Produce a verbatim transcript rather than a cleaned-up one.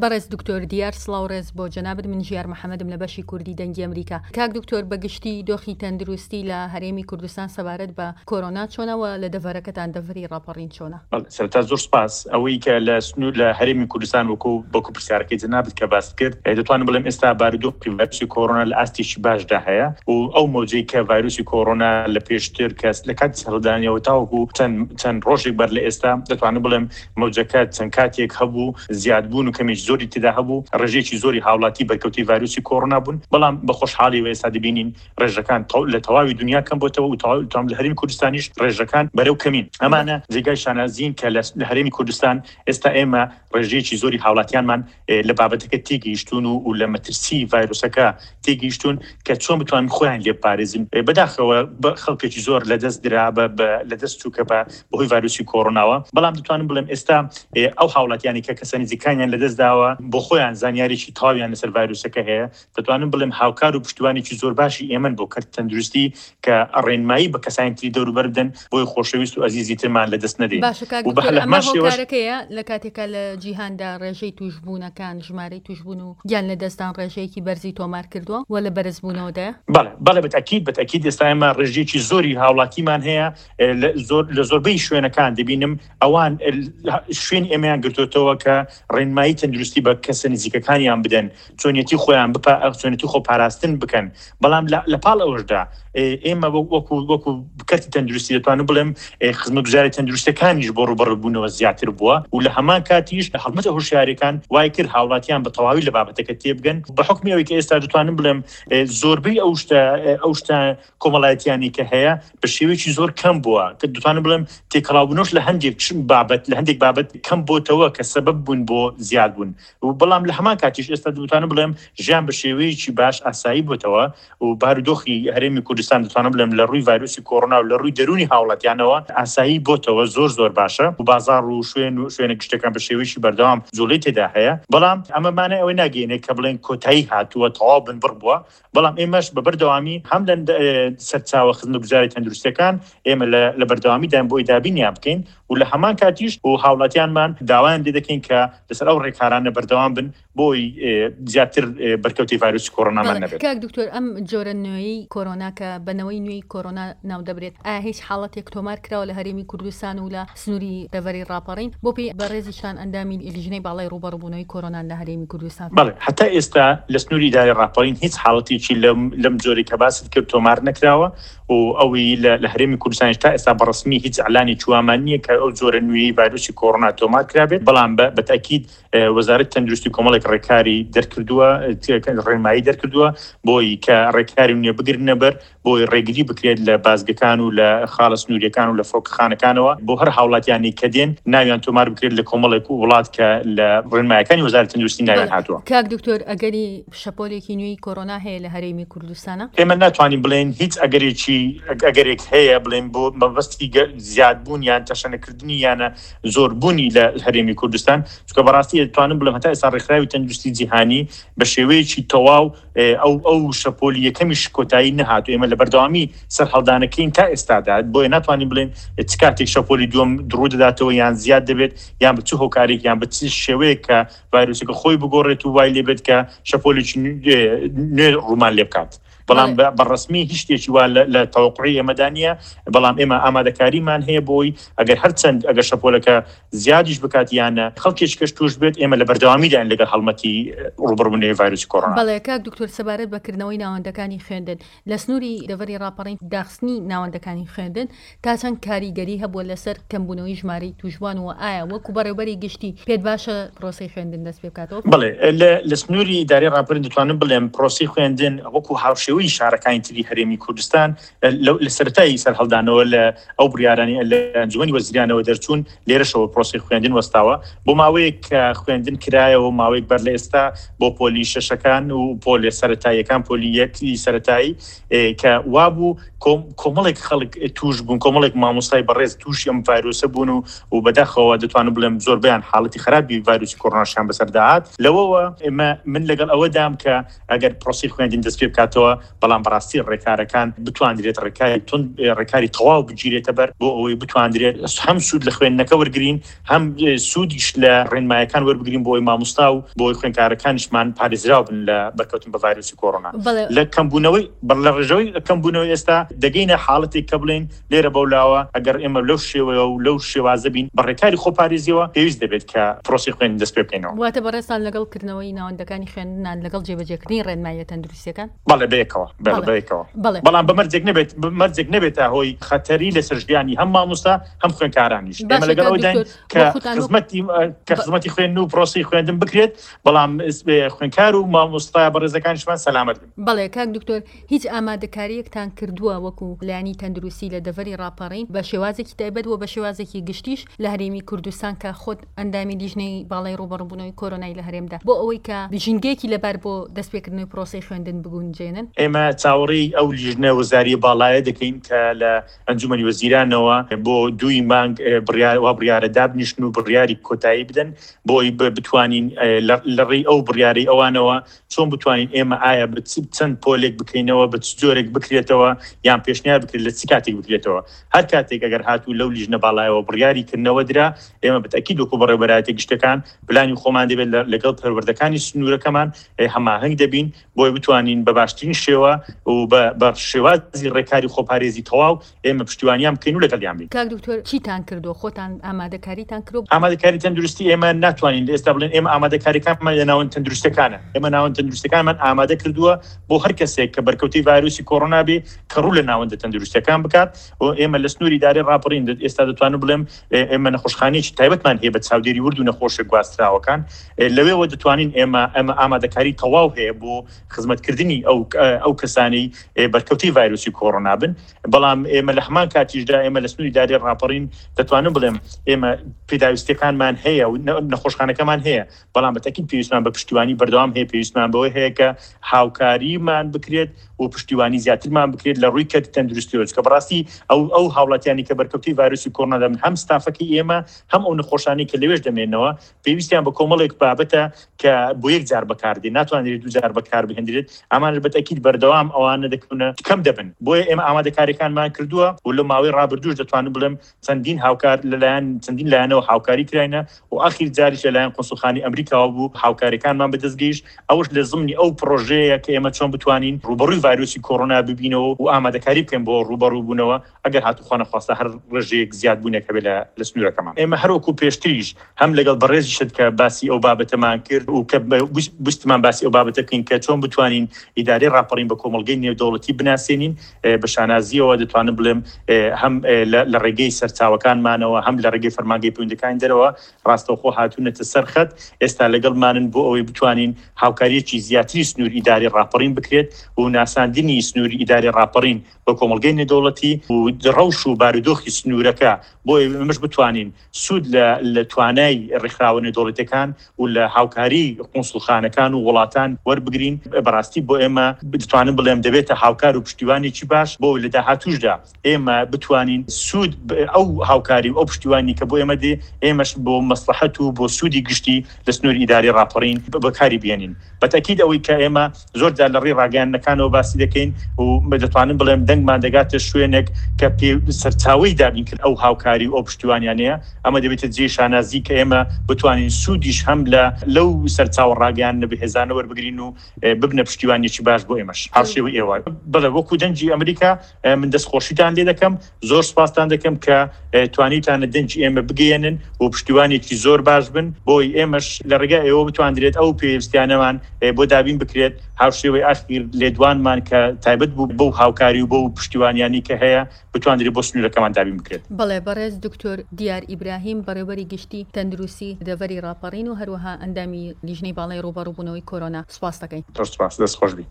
بەڕێز دکتۆر دیار، سڵاو ڕێز بۆ جەنابت. من ژیار محەممەدم لە بەشی کوردی دەنگی ئەمریکا. کاک دکتۆر، بەگشتی دۆخی تەندروستی لە هەرێمی کوردستان سەبارەت بە کۆرۆنا چۆنەوە، لە دەڤەرەکەتان دەڤەری ڕاپەڕین چۆنە؟ سەرەتا زۆر سپاس. ئەوەی کە لە سنوور لە هەرێمی کوردستان وەکو وەکو پرسیارەکەی جەنابت کە باست کرد، دەتوانم بڵێم ئێستا بارودۆخی ڤایرۆسی کۆرۆنا لە ئاستێکی باشدا هەیە و ئەو مەوجەی کە ڤایرۆسی کۆرۆنا لە پێشتر کەس لە کاتی سەرهەڵدانیەوە تاوەکو چەند چەند ڕۆژێک بەر لە ئێستا، دەتوانم بڵێم مەوجەکە چەند کاتێک هەبوو زیادبوون و کەمێکی زۆری تێدا هەبوو، ڕێژەیەکی زۆری هاوڵاتی بەرکەوتەی ڤایرۆسی کۆرۆنا بوون. بەڵام بە خۆشحاڵی و ئێستا دەبینین ڕێژەکان لە تەواوی دنیا کەم بۆتەوە و تەواوی لە هەرێمی کوردستانیش ڕێژەکان بەرەو کەمین. ئەمانە جێگای شانازین کە لە هەرێمی کوردستان ئێستا ئێمە ڕێژەیەکی زۆری هاوڵاتیانمان لە بابەتەکە تێگەیشتون و لە مەترسی ڤایرۆسەکە تێگەیشتون کە چۆن بتوانن خۆیان لێ بپارێزن. بەداخەوە خەڵکێکی زۆر لەدەست درا، لەدەست چوو کە بەهۆی ڤایرۆسی کۆرۆناوە. بەڵام دەتوانم بڵێم ئێستا ئەو هاوڵاتیانی کە کەسە نزیکانیان لەدەست داوە بۆ خۆیان زانیاریی تەواویان لەسەر ڤایرۆسەکە هەیە، دەتوانم بڵێم هاوکار و پشتیوانێکی زۆر باشی ئێمەن بۆ کەرت تەندروستی کە ڕێنمایی بە کەسانی تری دەوروبەر بدەن بۆی خۆشەویست و ئەزیزی ترمان لەدەست نەدەین. باشە کاک دکتۆر، ئەمە هۆکارەکەیە لە کاتێکا لە جیهاندا ڕێژەی توشبوونەکان، ژمارەی توشبوون و گیان لەدەستدان ڕێژەیەکی بەرزی تۆمار کردووە و لە بەرزبوونەوەدایە؟ بەڵێ بەڵێ، بەتەکید بەتەکید ئێستا ئێمە ڕێژەیەکی زۆری هاوڵاتیمان هەیە. زۆر لە زۆربەی شوێنەکان دەبینم ئەوان شوێن ئێمەیان گرتوتەوە کە ڕێنمایی تەندروستی بە کەسە نزیکەکانیان بدەن، چۆنیەتی خۆیان بپا چۆنیەتی خۆ پاراستن بکەن. بەڵام لە پاڵ ئەوەشدا ئێمە وەکو وەکو کەرتی تەندروستی دەتوانم بڵێم خزمەتگوزاری تەندروستەکانیش بۆ ڕووبەڕووبوونەوە زیاتر بووە و لە هەمان کاتیش هەڵمەتە هۆشیاریەکان وای کرد هاوڵاتیان بە تەواوی لە بابەتەکە تێبگەن. بە حکمی ئەوەی کە ئێستا دەتوانم بڵێم زۆربەی ئەو شتە ئەو شتە کۆمەڵایەتیانی کە هەیە بە شێوەیەکی زۆر کەم بووە کە دەتوانم بڵێم تێکەڵاوبوونەوەش لە هەندێک بابەت لە هەندێک بابەت کەم بۆتەوە کە سەبەب بوون بۆ زیاد بوون. بەڵام لە هەمان کاتیش ئێستا دەتوانم بڵێم ژیان بە شێوەیەکی باش ئاسایی بۆتەوە و بارودۆخی هەرێمی کوردستان دەتوانم بڵێم لە ڕووی ڤایرۆسی کۆرۆنا و لە ڕووی دەروونی هاوڵاتیانەوە ئاسایی بۆتەوە، زۆر زۆر باشە و بازاڕ و شوێن و شوێنە گشتەکان بە شێوەیەکی بەردەوام جوڵەی تێدا هەیە. بەڵام ئەمە مانای ئەوەی ناگەیەنێت کە بڵێن کۆتایی هاتووە، تەواو بنبڕ بووە. بەڵام ئێمەش بە بەردەوامی هەم لە سەرچاوە خزمەتگوزاری تەندروستیەکان ئێمە لە بەردەوامیدان بۆی دابینیان بکەین و لە هەمان کاتیش و هاوڵاتیانمان داوایان لێ دەکەین کە لەسەر ئەو ڕێکارانە بەردەوام بن بۆی زیاتر بەرکەوتەی ڤایرۆسی کۆرۆنامان نەبێت. کاک دکتۆر، ئەم جۆرە نوێی کۆرۆنا کە بەنەوەی نوێی کۆرۆنا ناودەبرێت، ئایا هیچ حاڵەتێک تۆمار کراوە لە هەرێمی کوردستان و لە سنووری دەڤەری ڕاپەڕین؟ بۆ پێی بەڕێزیشتان ئەندامی لیژنەی باڵای ڕووبەڕووبوونەوەی کۆرۆنا لە هەرێمی کوردستان؟ بەڵێ، هەتا ئێستا لە سنووری ئیدارەی ڕاپەڕین هیچ حاڵەتێکی لەم جۆرەی کە باست کرد تۆمار نەکراوە و ئەوەی لە هەرێمی کوردستانیش تا ئێستا بەڕسمی هیچ ئەلانی چوامان نییە کە ئەو جۆرە نوێی ڤایرۆسی کۆرۆنا تۆمار کرابێت. بەڵام بەتەکید وەزارەت تەندروستی کۆمەڵێک ڕێکاری دەرکردووە، ڕێنمایی دەرکردووە بۆی کە ڕێکاری نوێ بگرنە بەر بۆی ڕێگری بکرێت لە بازگەکان و لە خاڵە سنووریەکان و لە فڕۆکەخانەکانەوە بۆ هەر هاوڵاتیانی کە دێن ناویان تۆمار بکرێت لە کۆمەڵێک و وڵات کە لە ڕێنمایەکانی وەزارەت تەندروستی ناویان هاتووە. کاک دکتۆر، ئەگەری شەپۆلێکی نوێی کۆرۆنا هەیە لە هەرێمی کوردستانە؟ ئێمە ناتوانین بڵێن هیچ ئەگەرێکی ئەگەرێک هەیە بڵێن بۆ مەبەستی زیادبوون یان تەشەنەکردنی یانە زۆربوونی لە هەرێمی کوردستان، چونکە بەڕاستی دەتوانم بڵێم هەتا ئێستا ڕێکخراوی تەندروستی جیهانی بە شێوەیەکی تەواو ئەو ئەو شەپۆلی یەکەمیش کۆتایی نەهاتوو. ئێمە لە بەردەوامی سەرهەڵدانەکەین تا ئێستادا، بۆیە ناتوانین بڵێن چ کاتێک شەپۆلی دووەم ڕوو دەداتەوە یان زیاد دەبێت یان بە چ هۆکارێک یان بە چ شێوەیەک کە ڤایرۆسەکە خۆی بگۆڕێت و وای لێبێت کە شەپۆلێکی نوێ ڕوومان لێ بکات. بەڵام بەڕسمی هیچ شتێکی وا لە تەوەقعی ئێمەدا نییە. بەڵام ئێمە ئامادەکاریمان هەیە بۆی ئەگەر هەرچەند ئەگەر شەپۆلەکە زیادیش بکات یانە خەڵکێکی کەش توش بێت، ئێمە لە بەردەوامیدان لەگەڵ هەڵمەتی ڕووبەڕووبوونەوەی ڤایرۆسی کۆرۆنا. بەڵێ کاک دکتۆر، سەبارەت بە کردنەوەی ناوەندەکانی خوێندن لە سنووری دەڤەری ڕاپەڕین، داخستنی ناوەندەکانی خوێندن تا چەند کاریگەری هەبووە لەسەر کەمبوونەوەی ژمارەی توشبووان و ئایا وەکو بەڕێوبەری گشتی پێت باشە پرۆسەی خوێندن دەست پێ بکاتەوە؟ بەڵێ، لە سنووری ئیدارەی ڕاپەڕین دەتوانم بڵێم پرۆسەی خوێندن وەکو هاوشێوەی شارەکانی تری هەرێمی کوردستان لە سەرەتای سەرهەڵدانەوە لە ئەو بڕیارانی لە ئەنجومەنی وەزیرانەوە دەرچوون، لێرەشەوە پرۆسەی خوێندن وەستاوە. بۆ ماوەیەک کە خوێندن کرایەوە، ماوەیەک بەر لە ئێستا بۆ پۆلی شەشەکان و پۆلی سەرەتاییەکان، پۆلی یەکی سەرەتایی کە وابوو کۆمەڵێک خەڵک توش بوون، کۆمەڵێک مامۆستای بەڕێز تووشی ئەم ڤایرۆسە بوون و و بەداخەوە دەتوانم بڵێم زۆربەیان حاڵەتی خراپی ڤایرۆسی کۆرۆناشیان بەسەرداهات. لەوەوە ئێمە من لەگەڵ ئەوەدام کە ئەگەر پرۆسەی خوێندن دەست پێ بکاتەوە بەڵام بەڕاستی ڕێکارەکان بتواندرێت ڕێکاری توند، ڕێکاری تەواو بگیرێتە بەر بۆ ئەوەی بتواندرێت هەم سوود لە خوێندنەکە وەرگین، هەم سوودیش لە ڕێنمایەکان وەربگرین بۆ ئەوەی مامۆستا و بۆ ئەوەی خوێندکارەکانیشمان پارێزراو بن لە بەرکەوتن بە ڤایرۆسی کۆرۆنا. لە کەمبوونەوەی لە ڕێژەوەی کەمبوونەوەی ئێستا دەگەینە حاڵەتێک کە بڵێن لێرە بەولاوە ئەگەر ئێمە لەو شێوەیە و لەو شێوازە بین بە ڕێکاری خۆپارێزیەوە پێویست دەبێت کە پرۆسی خوێندن دەست پێ بکەینەوە. واتە بەڕێزتان لەگەڵ کردنەوەی ناوەندەکانی خوێندنان لەگەڵ جێبەجێکردنی ڕێنماییە تەندروستیەکان؟ بەڵێ بەیەکەوە، بەڵێ بەیەکەوە، بەڵام بە مەرجێک نەبێت، مەرجێک نەبێتە هۆی خەتەری لەسەر ژیانی هەم مامۆستا هەم خوێندکارانیش. ئێمە لەگەڵ ئەوەداین کە خزمەتی کە خزمەتی خوێندن و پرۆسی خوێندن بکرێت، بەڵام خوێندکار و مامۆستا بەڕێزەکانیشمان سەلامەت بن. بەڵێ کاک دکتۆر، هیچ ئامادەکاریەکتان کردووە وەکو لایەنی تەندروستی لە دەڤەری ڕاپەڕین بە شێوازێکی تایبەت و بە شێوازێکی گشتیش لە هەرێمی کوردستان کە خۆت ئەندامی لیژنەی باڵای ڕووبەڕووبوونەوەی کۆرۆنای لە هەرێمدا بۆ ئەوەی کە ژینگەیەکی لەبار بۆ دەستپێکردنەوەی پرۆسەی خوێندن بگونجێنن؟ ئێمە چاوەڕێی ئەو لیژنە وەزاریە باڵایە دەکەین کە لە ئەنجومەنی وەزیرانەوە بۆ دووی مانگ بڕیار وا بڕیارە دابنیشن و بڕیاری کۆتایی بدەن بۆ ئەوەی بتوانین لە ڕێی ئەو بڕیارەی ئەوانەوە چۆن بتوانین ئێمە ئایا بە چەند پۆلێک بکەینەوە، بە چ جۆرێک بکرێتەوە یان پێشنیار بکرێت لە چ کاتێک بکرێتەوە. هەر کاتێک ئەگەر هاتوو لەو لیژنە باڵایەوە بڕیاری کردنەوە درا، ئێمە بەتەکید وەکو بەڕێوەبەرایەتی گشتەکان پلانی خۆمان دەبێت لەگەڵ پەروەردەکانی سنوورەکەمان هەماهەنگ دەبین بۆی بتوانین بە باشترین شێوە و بە شێوازی ڕێکاری خۆپارێزی تەواو ئێمە پشتیوانیان بکەین و لەگەڵیان بین. کاک دکتۆر، چیتان کردووە؟ خۆتان ئامادەکاریتان کردووە؟ ئامادەکاری تەندروستی ئێمە ناتوانین لە ئێستا بڵێن ئێمە ئامادەکاریەکانمان لە ناوەند تەندروستەکانە. ئێمە ناوەند تەندروستەکانمان ئامادە کردووە بۆ هەر کەسێک کە بەرکەوتەی ڤایرۆسی کۆرۆنا بێ کە ڕوو لە ناوەندە تەندروستەکان بکات. و ئێمە لە سنووری ئیدارەی ڕاپەڕین ئێستا دەتوانم بڵێم ئێمە نەخۆشخانەیەکی تایبەتمان هەیە بە چاودێری ورد و نەخۆشە گواستراوەکان. لەوێوە دەتوانین ئێمە ئەمە ئامادەکاری تەواو هەیە بۆ خزمەتکردنی ئەو ئەو کەسانەی بەرکەوتەی ڤایرۆسی کۆرۆنا بن. بەڵام ئێمە لە هەمان کاتیشدا ئێمە لە سنووری ئیدارەی ڕاپەڕین دەتوانم بڵێم ئێمە پێداویستیەکانمان هەیە و نەخۆشخانەکەمان هەیە، بەڵام بەتەکید پێویستمان بە پشتیوانی بەردەوام هەیە، پێویستمان بەوەی هەیە کە هاوکاریمان بکرێت و پشتیوانی زیاترمان بکرێت لە ڕووی کەرتی تەندروستیەوە. چونکە بەڕاستی ئەو ئەو هاوڵاتیانی کە بەرکەوتەی ڤایرۆسی کۆرۆنا دەبن، هەم ستافەکەی ئێمە هەم ئەو نەخۆشانەی کە لەوێش دەمێنەوە پێویستیان بە کۆمەڵێک بابەتە کە بۆ یەک جار بەکاردێ، ناتوانرێت دوو جار بەکار بهێنرێت. ئەمانە بەتەکید بەردەوام ئەوانە دەکەونە کەم دەبن. بۆیە ئێمە ئامادەکاریەکانمان کردووە و لە ماوەی ڕابردووش دەتوانم بڵێم چەندین هاوکار لەلایەن چەندین لایەنەوە هاوکاری کراینە و ئاخیر جاریش لەلایەن قونسوڵخانەی ئەمریکاوە بوو هاوکاریەکانمان بەدەست گەیشت. ئەوەش لە زمنی ئەو پرۆژەیە کە ئێمە چۆن بتوانین ڕووبەڕووی ڤایرۆسی کۆرۆنا ببینەوە و ئامادەکاری بکەین بۆ ڕووبەڕووبوونەوە ئەگەر هاتوو خوانەخواستە هەر ڕێژەیەک زیادبوونێک هەبێت لە سنوورەکەمان. ئێمە هەروەکو پێشتریش هەم لەگەڵ بەڕێزیشت کە باسی ئەو بابەتەمان کرد و کە بوستمان باسی ئەو بابەتە بکەین کە چۆن بتوانین ئیدارەی ڕاپەڕین بە کۆمەڵگەی نێودەوڵەتی بناسێنین، بە شانازیەوە دەتوانم بڵێم هەم لە ڕێگەی سەرچاوەکانمانەوە هەم لە ڕێگەی فەرمانگەی پەیوەندەکانی دەرەوە ڕاستەوخۆ هاتوونەتە سەر خەت. ئێستا لەگەڵمانن بۆ ئەوەی بتوانین هاوکاریەکی زیاتری سنوور ئیداری ڕاپەڕین بکرێت و ناساندنی سنووری ئیداری ڕاپەڕین بە کۆمەڵگەی نێودەوڵەتی و ڕەوش و بارودۆخی سنوورەکە بۆ ئێمەش بتوانین سوود لە توانای ڕێکخراوە نێودەوڵەتیەکان و لە هاوکاری قونسوڵخانەکان و وڵاتان وەربگرین. بەڕاستی بۆ ئێمە دەتوانم بڵێم دەبێتە هاوکار و پشتیوانێکی باش بۆ لە داهاتووشدا ئێمە بتوانین سوود ئەو هاوکاری و ئەو پشتیوانی کە بۆ ئێمە دێ ئێمەش بۆ مەسلحەت و بۆ سوودی گشتی لە سنووری ئیداری ڕاپەڕین بەکاری بێنین. بەتەکید ئەوەی کە ئێمە زۆر جار لە ڕێی ڕاگەیاندنەکانەوە باسی دەکەین و دەتوانم بڵێم دەنگمان دەگاتە شوێنێک کە سەرچاوەی دابین کرد ئەو هاوکاری و ئەو پشتیوانیانەیە. ئەمە دەبێتە جێی شانازی کە ئێمە بتوانین سوودیش هەم لە لەو سەرچاوە ڕاگەیاندنە بەهێزانە وەربگرین و ببنە پشتیوانیەکی باش بۆ ئێمەش هاوشێوەی ئێوە. بەڵێ وەکو دەنگی ئەمریکا من دەستخۆشیتان لێ دەکەم، زۆر سوپاستان دەکەم کە توانیتانە دەنگی ئێمە بگەیەنن و پشتیوانێکی زۆر باش بن بۆی ئێمەش لە ڕێگای ئێوە بتواندرێت ئەو پێویستیانەمان بۆ دابین بکرێت. هاوشێوەی ئاخیر لێدوانمان کە تایبەت بوو بەو هاوکاری و بەو پشتیوانیانی کە هەیە بتواندرێت بۆ سنوورەکەمان دابین بکرێت. بەڵێ بەڕێز دکتۆر دیار ئیبراهیم، بەڕێوەبەری گشتی تەندروستی دەڤەری ڕاپەڕین و هەروەها ئەندامی لیژنەی باڵای ڕووبەڕووبوونەوەی کۆرۆنا، سوپاس دەکەین. زۆر سوپاس، دەست خۆش بی.